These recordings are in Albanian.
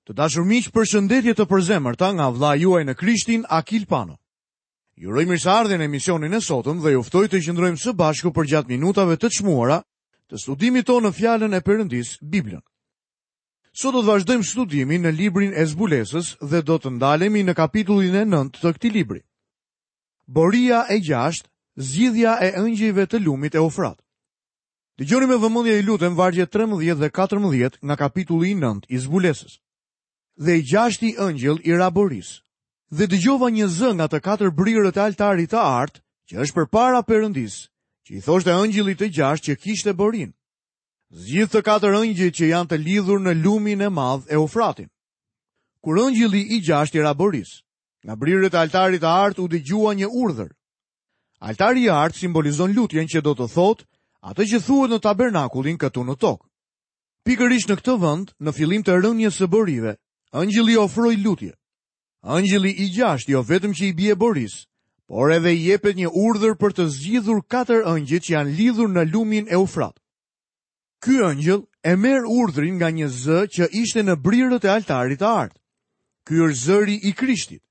Të dashur miq, përshëndetje të përzemërta nga vëllai juaj në Krishtin, Akil Pano. Ju uroj mirëseardhjen në emisionin e sotëm dhe ju ftoj të qëndrojmë së bashku përgjatë minutave të çmuara të studimit tonë në Fjalën e Perëndisë, Biblën. Sot do të vazhdojmë studimin në librin e Zbulesës dhe do të ndalemi në kapitullin e 9 të këtij libri. Boria e gjashtë, zgjidhja e engjëjve të lumit Eufrat. Dëgjoni me vëmendje ju lutem vargjet 13 dhe 14 nga kapitulli i 9 i Zbulesës. Dhe i gjashti engjëll i ra borisë. Dhe dëgjova një zë nga të katër brirët e altarit të artë, që është përpara Perëndisë, që i thoshte engjëllit të gjashtë që kishte borinë. Zgjidh të katër engjëjt që janë të lidhur në lumin e madh Eufratin. Kur engjëlli i gjashtë i ra borisë, nga brirët e altarit të artë u dëgjua një urdhër. Altari i artë simbolizon lutjen që do të thotë atë që thuhet në tabernakullin këtu në tokë. Pikërisht në këtë vend, në fillim të rënies së borive, engjëlli ofroi lutje. Engjëlli i gjashtë jo vetëm që i bie borisë, por edhe i jepet një urdhër për të zgjidhur katër engjëjt që janë lidhur në lumin Eufrat. Ky engjëll e merr urdhrin nga një zë që ishte në brirët e altarit të artë. Ky është zëri i Krishtit.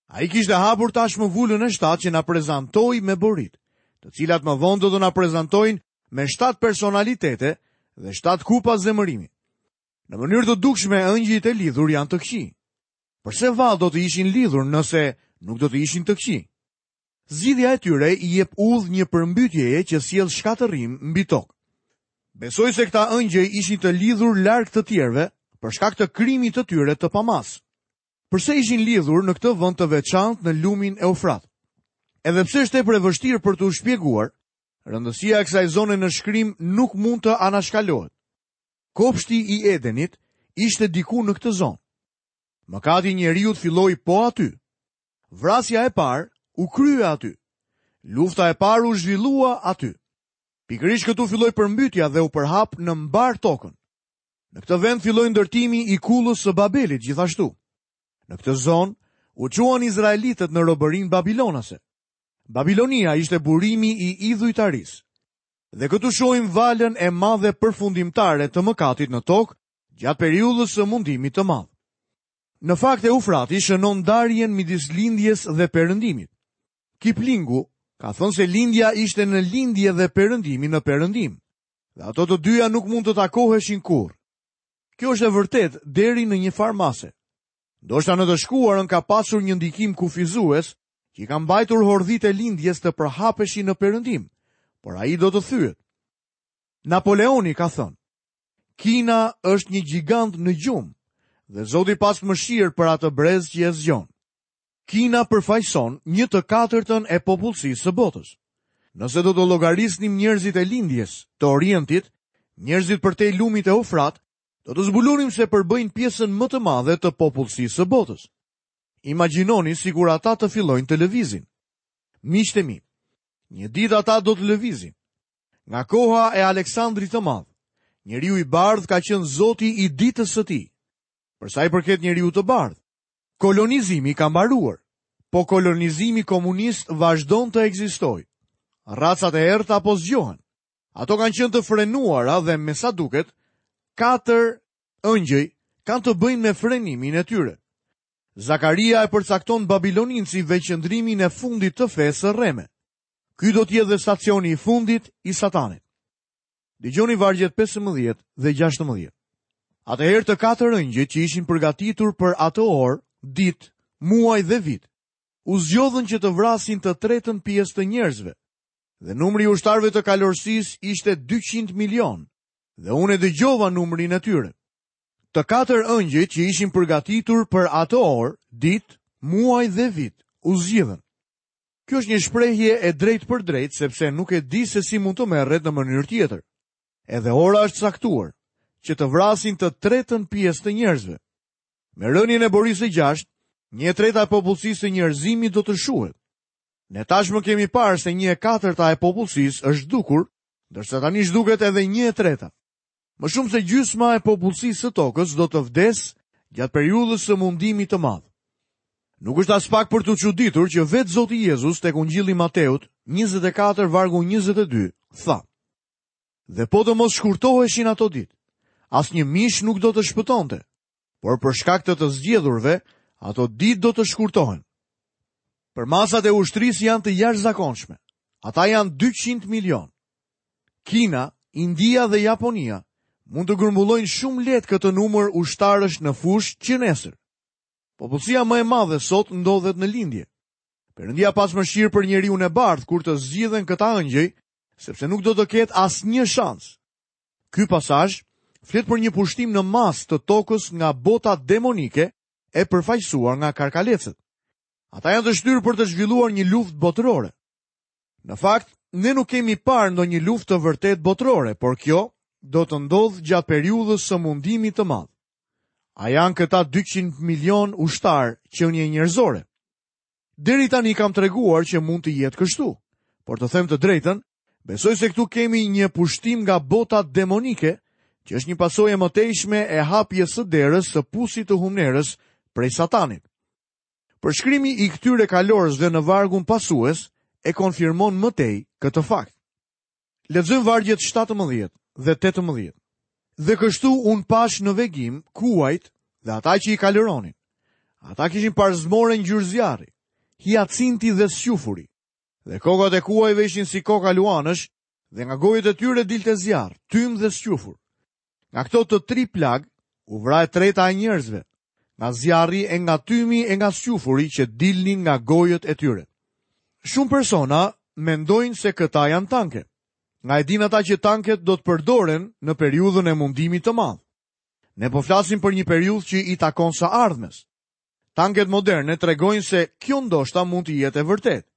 Ai kishte hapur tashmë vulën e shtatë që na prezantoi me boritë, të cilat më vonë do të na prezantojnë me shtatë personalitete dhe shtatë kupa zemërimi. Në mënyrë të dukshme engjëjt e lidhur janë të këqij. Përse vallë do të ishin lidhur nëse nuk do të ishin të këqij? Zgjidhja e tyre i jep udhë një përmbytjeje që sjell shkatërrim mbi tokë. Besoj se këta engjëj ishin të lidhur larg të tjerëve për shkak të krimit të tyre të pamasë. Përse ishin lidhur në këtë vend të veçantë në lumin Eufrat? Edhe pse është tepër e vështirë për t'u shpjeguar, rëndësia e kësaj zone në shkrim nuk mund të anashkalohet. Kopshti i Edenit ishte diku në këtë zonë. Mëkati i njeriut filloi po aty. Vrasja e parë u krye aty. Lufta e parë u zhvillua aty. Pikërisht këtu filloi përmbytja dhe u përhap në mbarë tokën. Në këtë vend filloi ndërtimi i kullës së Babelit gjithashtu. Në këtë zonë u çuan izraelitët në robërinë babilonase. Babilonia ishte burimi i idhujtarisë. Dhe këtu shohim valën e madhe përfundimtare të mëkatit në tokë gjatë periudhës së mundimit të madh. Në fakt Eufrati shënon ndarjen midis lindjes dhe perëndimit. Kiplingu ka thënë se lindja ishte në lindje dhe perëndimi në perëndim. Dhe ato të dyja nuk mund të takoheshin kurrë. Kjo është e vërtetë deri në një farë mase. Ndoshta në të shkuarën ka pasur një ndikim kufizues që i ka mbajtur hordhitë e lindjes të përhapeshin në perëndim, por ai do të thyhet. Napoleoni ka thënë, Kina është një gjigant në gjumë dhe Zoti pastë mëshirë për atë brez që e zgjon. Kina përfaqëson një të katërtën e popullsisë së botës. Nëse do të llogarisnim njerëzit e lindjes, të Orientit, njerëzit përtej lumit Eufrat, do të zbulonim se përbëjnë pjesën më të madhe të popullsisë së botës. Imagjinoni sikur ata të fillojnë të lëvizin. Miqtë e mi, një ditë ata do të lëvizin. Nga koha e Aleksandrit të Madh, njeriu i bardhë ka qenë zoti i ditës së tij. Për sa i përket njeriut të bardhë, Kolonizimi ka mbaruar, po kolonizimi komunist vazhdon të ekzistojë. Racat e errëta po zgjohen. Ato kanë qenë të frenuara dhe me sa duket, katër engjëj kanë të bëjnë me frenimin e tyre. Zakaria e përcakton Babiloninë si vendqëndrimin e fundit të fesë së rreme. Ky do të jetë dhe stacioni i fundit i Satanit. Dëgjoni vargjet 15 dhe 16. Atëherë të katër engjëjt që ishin përgatitur për atë orë, ditë, muaj dhe vit, u zgjodhën që të vrasin të tretën pjesë të njerëzve. Dhe numri i ushtarëve të kalorësisë ishte 200 milionë, dhe unë e dëgjova numrin e tyre. Të katër engjëjt që ishin përgatitur për atë orë, ditë, muaj dhe vit, u zgjidhën. Kjo është një shprehje e drejtpërdrejtë sepse nuk e di se si mund të merret në mënyrë tjetër. Edhe ora është caktuar që të vrasin të tretën pjesë të njerëzve. Me rënien e borisë së gjashtë, një e treta e popullsisë së njerëzimit do të shuhet. Ne tashmë kemi parë se një e katërta e popullsisë është zhdukur, ndërsa tani zhduket edhe një e treta. Më shumë se gjysma e popullsisë së tokës do të vdesë gjatë periudhës së mundimit të madh. Nuk është aspak për t'u çuditur që vetë Zoti Jezus tek Ungjilli i Mateut 24 vargu 22 tha: Dhe po të mos shkurtoheshin ato ditë, asnjë mish nuk do të shpëtonte. Por për shkak të të zgjedhurve, ato ditë do të shkurtohen. Përmasat e ushtrisë janë të jashtëzakonshme. Ata janë 200 milionë. Kina, India dhe Japonia mund të grumbullojnë shumë lehtë këtë numër ushtarësh në fushë që nesër. Popullsia më e madhe sot ndodhet në lindje. Perëndia pastë mëshirë për njeriun e bardhë kur të zgjidhen këta ëngjëj, sepse nuk do të ketë asnjë shans. Ky pasazh flet për një pushtim në masë të tokës nga bota demonike e përfaqësuar nga karkalecët. Ata janë të shtyrë për të zhvilluar një luftë botërore. Në fakt, ne nuk kemi parë ndonjë luftë të vërtetë botërore, por kjo do të ndodhë gjatë periudhës së mundimit të madh. A janë këta 200 milionë ushtarë qenie njerëzore? Deri tani kam treguar që mund të jetë kështu, por të them të drejtën, besoj se këtu kemi një pushtim nga bota demonike, që është një pasojë e mëtejshme e hapjes së derës së pusit të humnerës prej satanit. Përshkrimi i këtyre kalorësve në vargun pasues e konfirmon më tej këtë fakt. Lexojmë vargjet 17 dhe 18. Dhe kështu unë pashë në vegim kuajt dhe ata që i kalëronin. Ata kishin parzmore ngjyrë zjarri, hiacinti dhe squfuri. Dhe kokat e kuajve ishin si koka luanësh dhe nga gojët e tyre dilte zjarr, tym dhe squfur. Nga këto të tri plagë u vra e treta e njerëzve, nga zjarri e nga tymi e nga squfuri që dilnin nga gojët e tyre. Shumë persona mendojnë se këta janë tanke. Nga e dinë ata që tanket do të përdoren në periudhën e mundimit të madh. Ne po flasim për një periudhë që i takon së ardhmes. Tanket moderne tregojnë se kjo ndoshta mund të jetë e vërtetë.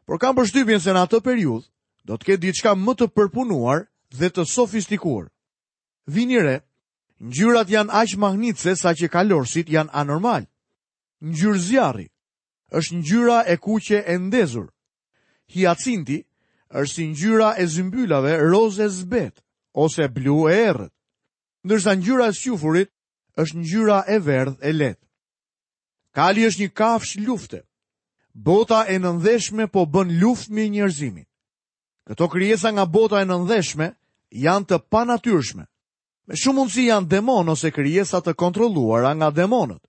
Por kam përshtypjen se në atë periudhë do të ketë diçka më të përpunuar dhe të sofistikuar. Vini re, ngjyrat janë aq mahnitëse saqë kalorësit janë anormalë. Ngjyrë zjarri është ngjyra e kuqe e ndezur. Hiacinti është si ngjyra e zymbylave rozë e zbehtë ose blu e errët. Ndërsa ngjyra e squfurit është ngjyra e verdhë e lehtë. Kali është një kafshë lufte. Bota e nëndheshme po bën luftë me njerëzimin. Këto krijesa nga bota e nëndheshme janë të panatyrshme. Me shumë mundësi janë demonë ose krijesa të kontrolluara nga demonët.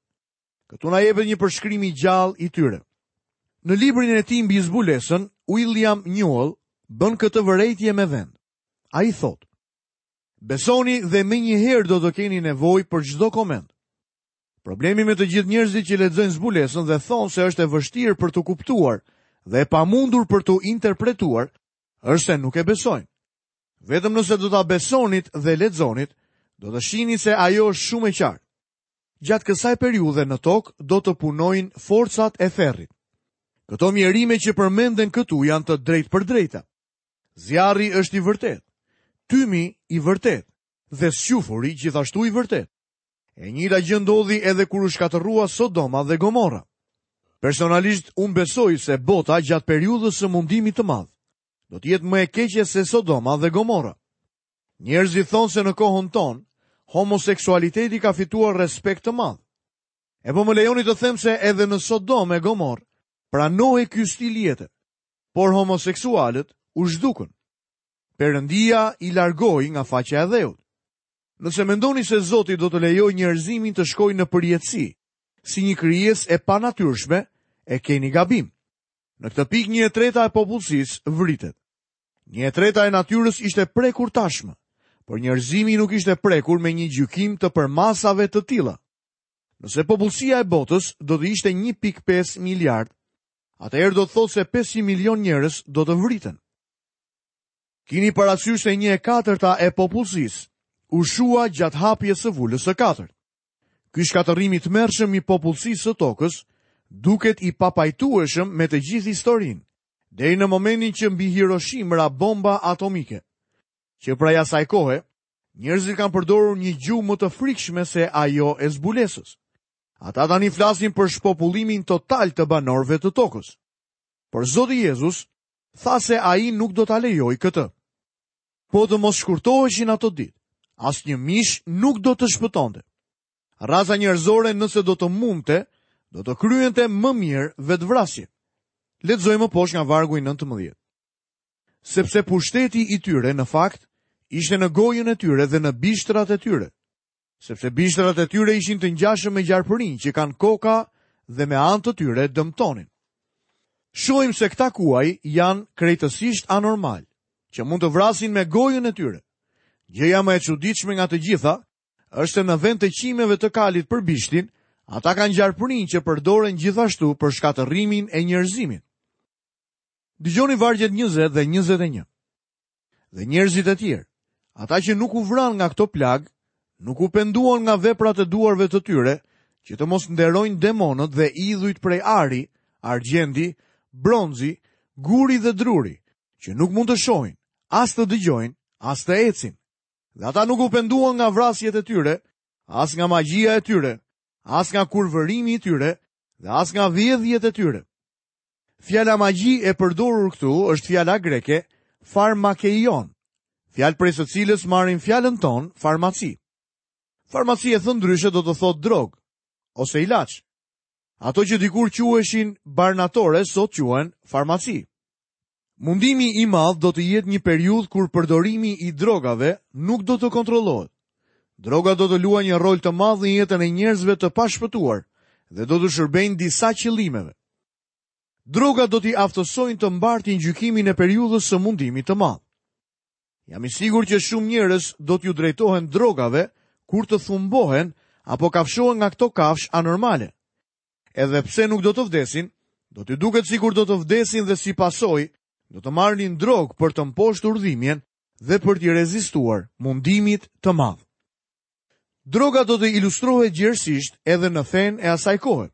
Këtu na jepet një përshkrim i gjallë i tyre. Në librin e tij mbi zbulesën, William Newell bën këtë vërejtje me vend. Ai thotë: Besoni dhe menjëherë do të keni nevojë për çdo koment. Problemi me të gjithë njerëzit që lexojnë zbulesën dhe thonë se është e vështirë për t'u kuptuar dhe e pamundur për t'u interpretuar, është se nuk e besojnë. Vetëm nëse do ta besonit dhe lexonit, do të shihni se ajo është shumë e qartë. Gjatë kësaj periudhe në tokë do të punojnë forcat e ferrit. Këto mjerime që përmenden këtu janë të drejtpërdrejta. Zjarri është i vërtetë, tymi i vërtetë dhe squfuri gjithashtu i vërtetë. E njëjta gjë ndodhi edhe kur u shkatërrua Sodoma dhe Gomorra. Personalisht unë besoj se bota gjatë periudhës së mundimit të madh do të jetë më e keqe se Sodoma dhe Gomorra. Njerëzit thonë se në kohën tonë homoseksualiteti ka fituar respekt të madh. E po më lejoni të them se edhe në Sodomë e Gomorrë pranohej ky stil jete, por homoseksualët u zhdukën. Perëndia i largoi nga faqja e dheut. Nëse mendoni se Zoti do të lejojë njerëzimin të shkojë në përjetësi, si një krijesë e panatyrshme, e keni gabim. Në këtë pikë një e treta e popullsisë vritet. Një e treta e natyrës ishte prekur tashmë, por njerëzimi nuk ishte prekur me një gjykim të përmasave të tilla. Nëse popullsia e botës do të ishte 1.5 miliard, atëherë do të thotë se 500 milion njerëz do të vriten. Kini parasysh se një e katërta e popullsisë u shua gjatë hapjes së vulës së katërt. Ky shkatërrim i tmerrshëm i popullsisë së tokës duket i papajtueshëm me të gjithë historinë, deri në momentin që mbi Hiroshimë ra bomba atomike. Që prej asaj kohe, njerëzit kanë përdorur një gjuhë më të frikshme se ajo e zbulesës. Ata tani flasin për shpopullimin total të banorëve të tokës. Por Zoti Jezus tha se ai nuk do ta lejojë këtë. Po të mos shkurtoheshin ato ditë, asnjë mish nuk do të shpëtonte. Raca njerëzore nëse do të mundte, do të kryente më mirë vetëvrasje. Lexojmë më poshtë nga vargu i 19. Sepse pushteti i tyre në fakt ishte në gojën e tyre dhe në bishtrat e tyre. Sepse bishtrat e tyre ishin të ngjashëm me gjarpërinj që kanë koka dhe me anë të tyre dëmtonin. Shohim se këta kuaj janë krejtësisht anormalë, që mund të vrasin me gojën e tyre. Gjëja më e çuditshme nga të gjitha është se në vend të qimeve të kalit për bishtin, ata kanë gjarpërinj që përdoren gjithashtu për shkatërrimin e njerëzimit. Dëgjoni vargjet 20 dhe 21. Dhe njerëzit e tjerë, ata që nuk u vranë nga këto plagë, nuk u penduan nga veprat e duarve të tyre, që të mos nderojnë demonët dhe idhujt prej ari, argjendi, bronzi, guri dhe druri, që nuk mund të shohin, as të dëgjojnë, as të ecin. Dhe ata nuk u penduan nga vrasjet e tyre, as nga magjia e tyre, as nga kurvërimi i tyre dhe as nga vjedhjet e tyre. Fjala magji e përdorur këtu është fjala greke farmakeion, fjalë prej së cilës marrim fjalën tonë farmaci. Farmaci e thënë ndryshe do të thotë drogë ose ilaç. Ato që dikur quheshin barnatore sot quhen farmaci. Mundimi i madh do të jetë një periudhë kur përdorimi i drogave nuk do të kontrollohet. Droga do të luajë një rol të madh në jetën e njerëzve të pashpëtuar dhe do t'u shërbejnë disa qëllimeve. Droga do t'i aftësojnë të mbartin gjykimin e periudhës së mundimit të madh. Jam i sigurt që shumë njerëz do t'iu drejtohen drogave kur të thumbohen apo kafshohen nga këto kafshë anormale. Edhe pse nuk do të vdesin, do t'u duket sikur do të vdesin dhe si pasojë do të marrin drogë për të mposhtur dhimbjen dhe për t'i rezistuar mundimit të madh. Droga do të ilustrohet gjerësisht edhe në fenë e asaj kohe.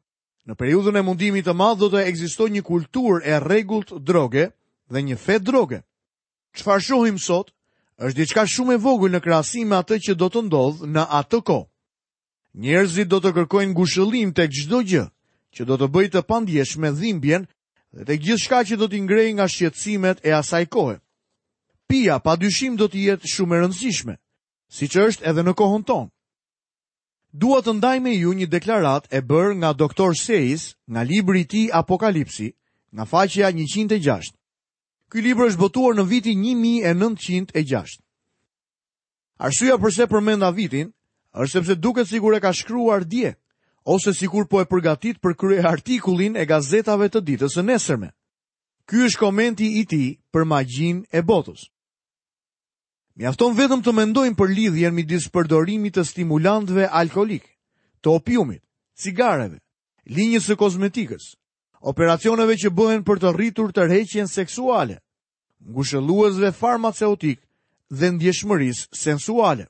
Në periudhën e mundimit të madh do të ekzistojë një kulturë e rregullt droge dhe një fe droge. Çfarë shohim sot është diçka shumë e vogël në krahasim me atë që do të ndodhë në atë kohë. Njerëzit do të kërkojnë ngushëllim tek çdo gjë që do të bëjë të pandjeshme dhimbjen dhe tek gjithçka që do t'i ngrejë nga shqetësimet e asaj kohe. Pija pa dyshim do të jetë shumë e rëndësishme, siç është edhe në kohën tonë. Dua të ndaj me ju një deklaratë e bërë nga Doktor Seis nga libri i tij Apokalipsi, nga faqja 106. Ky libër është botuar në vitin 1906. Arsyeja përse përmenda vitin është sepse duket sikur e ka shkruar dje ose sikur po e përgatit për kryeartikullin e gazetave të ditës së nesërme. Ky është komenti i tij për magjinë e botës. Mjafton vetëm të mendojmë për lidhjen midis përdorimit të stimulantëve alkoolikë, të opiumit, cigareve, linjës së kozmetikës, operacioneve që bëhen për të rritur tërheqjen seksuale, ngushëlluesve farmaceutikë dhe ndjeshmërisë sensuale.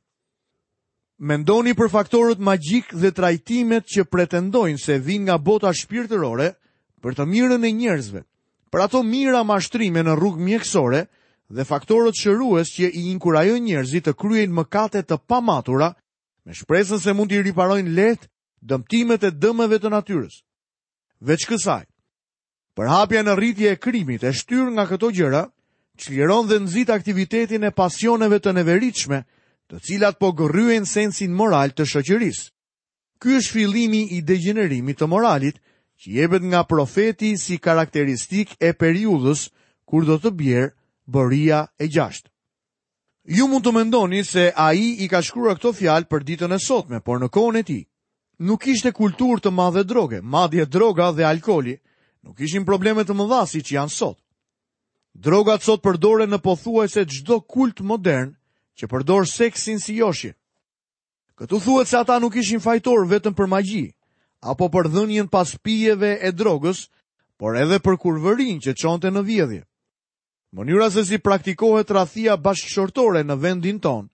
Mendoni për faktorët magjikë dhe trajtimet që pretendojnë se vijnë nga bota shpirtërore për të mirën e njerëzve, për ato mijëra mashtrime në rrugë mjekësore dhe faktorët shërues që i inkurajojnë njerëzit të kryejnë mëkate të pamatura me shpresën se mund t'i riparojnë lehtë dëmtimet e dëmeve të natyrës. Veç kësaj, Përhapja në rritje e krimit e shtyrë nga këto gjëra, çliron dhe nxit aktivitetin e pasioneve të neveritshme, të cilat po gërryejnë sensin moral të shoqërisë. Ky është fillimi i degjenerimit të moralit, që jepet nga profeti si karakteristikë e periudhës kur do të bjerë boria e gjashtë. Ju mund të mendoni se ai i ka shkruar këto fjalë për ditën e sotme, por në kohën e tij nuk kishte kulturë të madhe droge, madje droga dhe alkooli nuk ishin probleme të mëdha siç janë sot. Drogat sot përdoren në pothuajse çdo kult modern që përdor seksin si joshje. Këtu thuhet se ata nuk ishin fajtorë vetëm për magji, apo për dhënien pas pijeve e drogës, por edhe për kurvërinë që çonte në vjedhje. Mënyra se si praktikohet tradhtia bashkëshortore në vendin tonë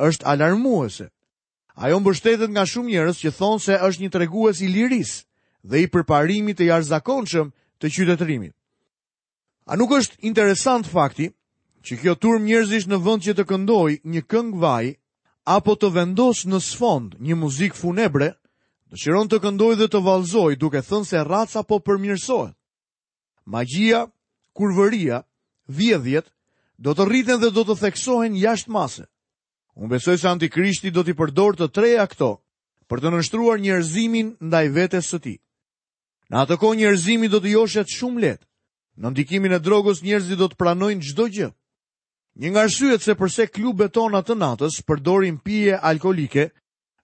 është alarmuese. Ajo mbështetet nga shumë njerëz që thonë se është një tregues i lirisë dhe i përparimit të jashtëzakonshëm të qytetërimit. A nuk është interesant fakti që kjo turmë njerëzish në vend që të këndojë një këngë vaji apo të vendosë në sfond një muzikë funebre, dëshiron të këndojë dhe të vallëzojë duke thënë se raca po përmirësohet. Magjia, kurvëria, vjedhjet do të rriten dhe do të theksohen jashtë mase. Unë besoj se Antikrishti do t'i përdorë të treja këto për të nënshtruar njerëzimin ndaj vetes së tij. Në atë kohë njerëzimi do të joshet shumë lehtë. Në ndikimin e drogës njerëzit do të pranojnë çdo gjë. Një nga arsyet se përse klubet tona të natës përdorin pije alkoolike.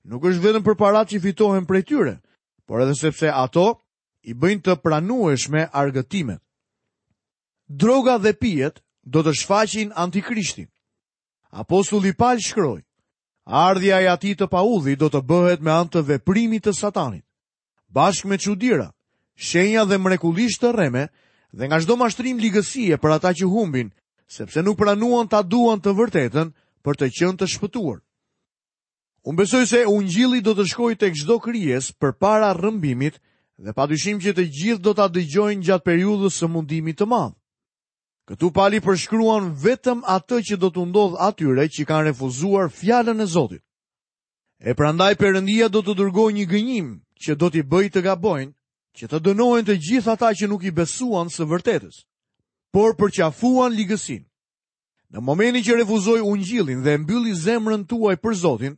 nuk është vetëm për paratë që fitohen prej tyre, por edhe sepse ato i bëjnë të pranueshme argëtimet. Droga dhe pijet do të shfaqin antikrishtin. Apostulli Pal shkroi, Ardhja e atij të paudhit do të bëhet me anë të veprimit të satanit, bashkë me çudira, shenja dhe mrekullish të rreme dhe nga çdo mashtrim ligësie për ata që humbin, sepse nuk pranuan ta duan të vërtetën për të qenë të shpëtuar. Unë besoj se ungjilli do të shkojë tek çdo krijesë përpara rrëmbimit dhe padyshim që të gjithë do ta dëgjojnë gjatë periudhës së mundimit të madh. Këtu Pali përshkruan vetëm atë që do t'u ndodhë atyre që kanë refuzuar fjalën e Zotit. E prandaj Perëndia do të dërgojë një gënjim që do t'i bëjë të gabojnë, që të dënohen të gjithë ata që nuk i besuan së vërtetës, por përqafuan ligësinë. Në momentin që refuzoi ungjillin dhe mbylli zemrën tuaj për Zotin,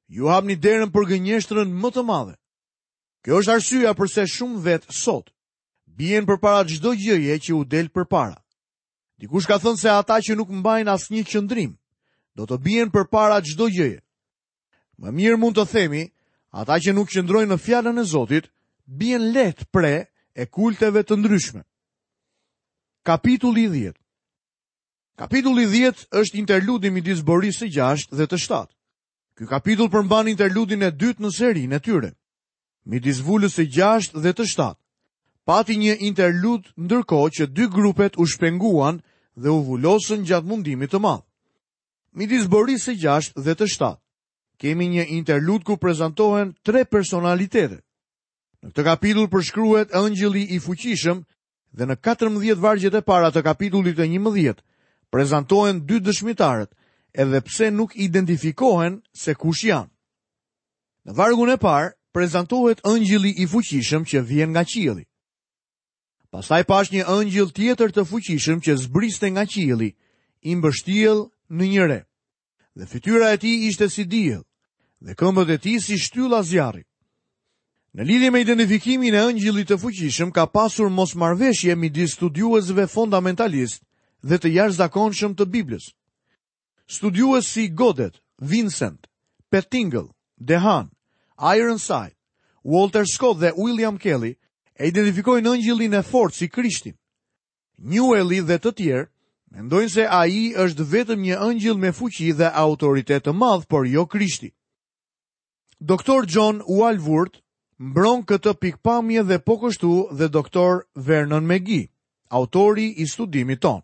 ju hapni derën për gënjeshtrën më të madhe. Kjo është arsyeja përse shumë vetë sot bien përpara çdo gjëje që u del përpara. Dikush ka thënë se ata që nuk mbajnë asnjë qëndrim, do të bien përpara çdo gjëje. Më mirë mund të themi, ata që nuk qëndrojnë në fjalën e Zotit, bien lehtë pre e kulteve të ndryshme. Kapitulli 10 Kapitulli 10 është interludi midis borisë së 6 dhe të 7. Ky kapitull përmban interludin e dytë në serinë e tyre. Midis vulës së 6 dhe të 7. Pati një interlud ndërkohë që dy grupet u shpenguan dhe u vulosën gjatë mundimit të madh. Midis borisë së 6 dhe të 7. Kemi një interlud ku prezantohen tre personalitete. Në këtë kapitull përshkruhet engjëlli i fuqishëm dhe në 14 vargjet e para të kapitullit të 11 prezantohen dy dëshmitarët, edhe pse nuk identifikohen se kush janë. Në vargun e parë prezantohet engjëlli i fuqishëm që vjen nga qielli. Pastaj pashë një engjëll tjetër të fuqishëm që zbriste nga qielli, i mbështjellë në një re. Dhe fytyra e tij ishte si diell, dhe këmbët e tij si shtylla zjarri. Në lidhje me identifikimin e engjëllit të fuqishëm ka pasur mosmarrëveshje midis studiuesve fondamentalistë dhe të jashtëzakonshëm të Biblës. Studiues si Godet, Vincent, Pettingell, DeHaan, Ironside, Walter Scott dhe William Kelly e identifikojnë engjëllin e fortë si Krishtin. Newelli dhe të tjerë mendojnë se ai është vetëm një engjëll me fuqi dhe autoritet të madh, por jo Krishti. Doktor John Walvoord mbron këtë pikëpamje dhe po kështu dhe doktor Vernon McGee, autori i studimit tonë.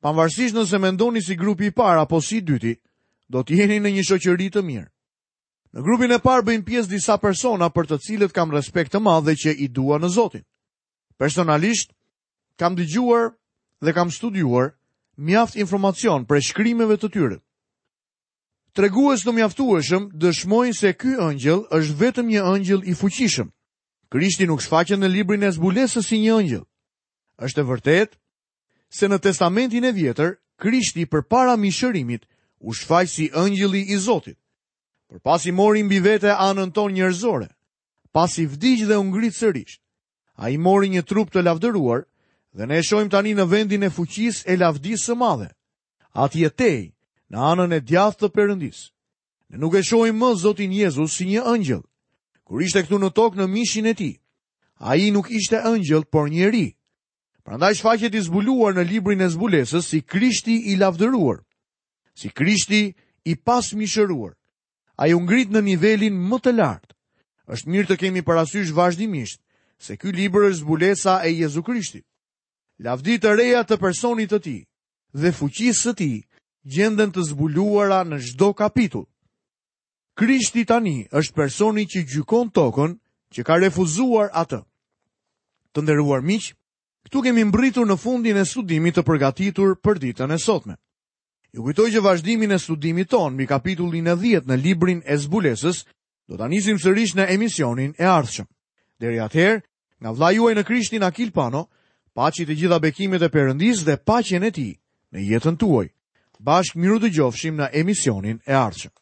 Pavarësisht nëse mendoni si grupi i parë apo si i dyti, do të jeni në një shoqëri të mirë. Në grupin e parë bëjnë pjesë disa persona për të cilët kam respekt të madh dhe që i dua në Zotin. Personalisht, kam dëgjuar dhe kam studiuar mjaft informacion prej shkrimeve të tyre. Tregues të mjaftueshëm dëshmojnë se ky engjëll është vetëm një engjëll i fuqishëm. Krishti nuk shfaqet në librin e zbulesës si një engjëll. Është e vërtetë se në Testamentin e Vjetër, Krishti përpara mishërimit u shfaq si engjëlli i Zotit. Por pasi mori mbi vete anën tonë njerëzore, pasi vdiq dhe u ngrit sërish, Ai mori një trup të lavdëruar dhe ne e shohim tani në vendin e fuqisë e lavdisë së madhe. Atje tej, në anën e djathtë të Perëndisë. Ne nuk e shohim më Zotin Jezus si një engjëll. Kur ishte këtu në tokë në mishin e tij, ai nuk ishte engjëll, por njeri. Prandaj shfaqet i zbuluar në librin e zbulesës si Krishti i lavdëruar, si Krishti i pasmishëruar. Ai u ngrit në nivelin më të lartë. Është mirë të kemi parasysh vazhdimisht se ky libër është zbulesa e Jezu Krishtit. Lavdi të reja të personit të tij dhe fuqisë së tij gjenden të zbuluara në çdo kapitull. Krishti tani është personi që gjykon tokën që ka refuzuar atë. Të nderuar miq, këtu kemi mbërritur në fundin e studimit të përgatitur për ditën e sotme. Ju kujtoj që vazhdimin e studimit tonë mbi kapitullin e 10 në librin e zbulesës do ta nisim sërish në emisionin e ardhshëm. Deri atëherë, nga vëllai juaj në Krishtin Akil Pano, paçi të gjitha bekimet e Perëndisë dhe paqen e tij në jetën tuaj. Bashkë mirudëgjofshim në emisionin e ardhshëm.